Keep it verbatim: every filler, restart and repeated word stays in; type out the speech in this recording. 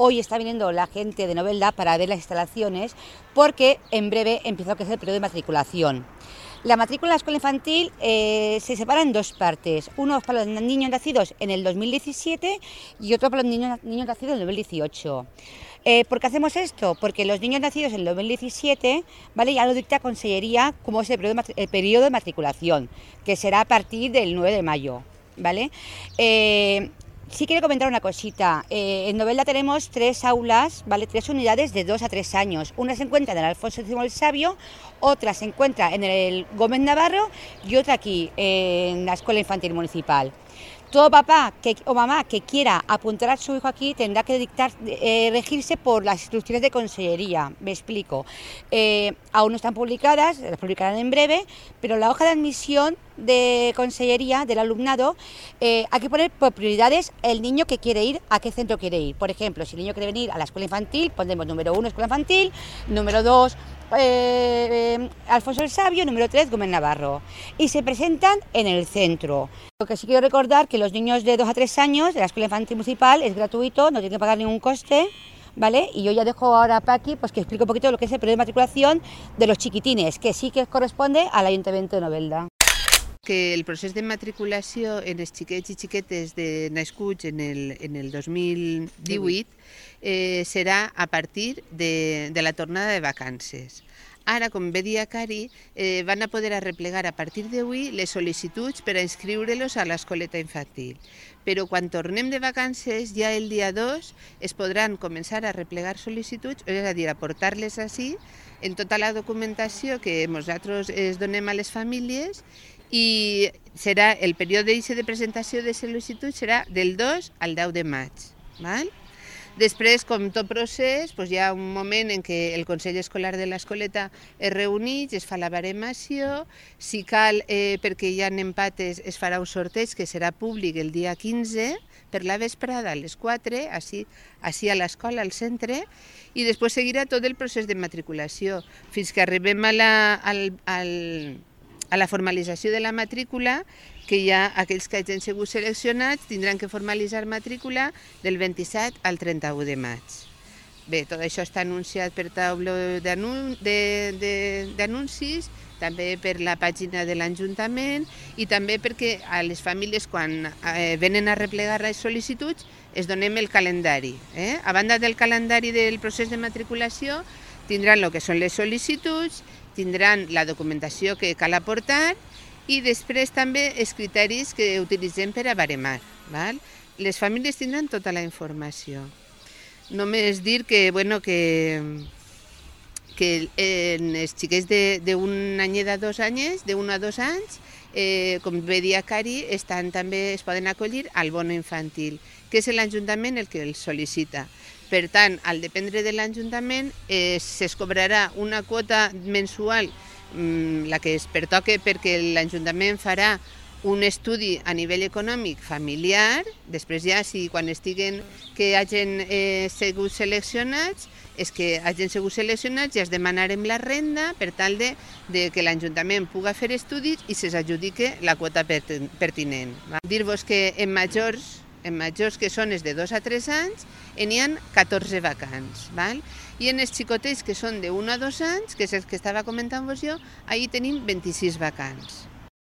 hoy está viniendo la gente de Novelda para ver las instalaciones, porque en breve empieza lo que es el periodo de matriculación. La matrícula en la escuela infantil eh, se separa en dos partes, uno para los niños nacidos en el dos mil diecisiete y otro para los niños, niños nacidos en el dos mil dieciocho. Eh, ¿Por qué hacemos esto? Porque los niños nacidos en el dos mil diecisiete, ¿vale?, ya lo dicta Consellería como es el periodo, el periodo de matriculación, que será a partir del nueve de mayo, ¿vale? Eh, Sí quiero comentar una cosita. Eh, en Novelda tenemos tres aulas, ¿vale? Tres unidades de dos a tres años. Una se encuentra en el Alfonso X el Sabio, otra se encuentra en el Gómez Navarro y otra aquí, en la Escuela Infantil Municipal. Todo papá que, o mamá que quiera apuntar a su hijo aquí tendrá que dictar, eh, regirse por las instrucciones de Consellería. Me explico. Eh, aún no están publicadas, las publicarán en breve, pero la hoja de admisión de Consellería del alumnado, eh, hay que poner por prioridades el niño que quiere ir, a qué centro quiere ir. Por ejemplo, si el niño quiere venir a la escuela infantil, pondremos número uno, escuela infantil, número dos, eh, eh, Alfonso el Sabio, número tres, Gómez Navarro. Y se presentan en el centro. Lo que sí quiero recordar que los niños de dos a tres años de la escuela infantil municipal es gratuito, no tienen que pagar ningún coste, ¿vale? Y yo ya dejo ahora a Paqui pues, que explique un poquito lo que es el periodo de matriculación de los chiquitines, que sí que corresponde al Ayuntamiento de Novelda. Que el procés de matriculació en els xiquets i xiquetes de nascuts en el, en el dos mil divuit eh, serà a partir de, de la tornada de vacances. Ara, com bé dia Cari, eh, van a poder arreplegar a partir d'avui les sol·licituds per a inscriure-los a l'escoleta infantil. Però quan tornem de vacances, ja el dia dos es podran començar a arreplegar sol·licituds, és a dir, a portar-les així en tota la documentació que nosaltres es donem a les famílies, i serà el període de presentació de sol·licitud serà del dos al deu de maig. Val? Després, com tot procés, doncs hi ha un moment en què el Consell Escolar de l'Escoleta es reuneix, es fa la baremació, si cal, eh, perquè hi ha empates, es farà un sorteig que serà públic el dia quinze, per la vesprada a les quatre, així, així a l'escola, al centre, i després seguirà tot el procés de matriculació, fins que arribem a la, al, al, a la formalització de la matrícula, que ja aquells que hagin sigut seleccionats tindran que formalitzar matrícula del vint-i-set al trenta-u de maig. Bé, tot això està anunciat per taula d'anuncis, també per la pàgina de l'Ajuntament i també perquè a les famílies quan eh, venen a replegar les sol·licituds es donem el calendari. Eh? A banda del calendari del procés de matriculació tindran el que són les sol·licituds, tindran la documentació que cal aportar i després també els criteris que utilitzem per a baremar. Val? Les famílies tindran tota la informació. Només dir que, bueno, que, que en els xiquets d'un any a dos anys, d'un a dos anys, eh, com bé dia Cari, estan, també es poden acollir al bono infantil, que és l'Ajuntament el que els sol·licita. Per tant, al dependre de l'Ajuntament, eh, es cobrarà una quota mensual, mm, la que es pertoque perquè l'Ajuntament farà un estudi a nivell econòmic familiar, després ja, si quan estiguen que hagin eh, sigut seleccionats, és que hagin sigut seleccionats ja es demanarem la renda per tal de, de que l'Ajuntament pugui fer estudis i se'ls adjudique la quota pertinent. Dir-vos que en majors, en majors que són els de dos a tres anys, n'hi ha catorze vacants. Val? I en els xicotets que són d'un a dos anys, que és el que estava comentant-vos jo, ahir tenim vint-i-sis vacants.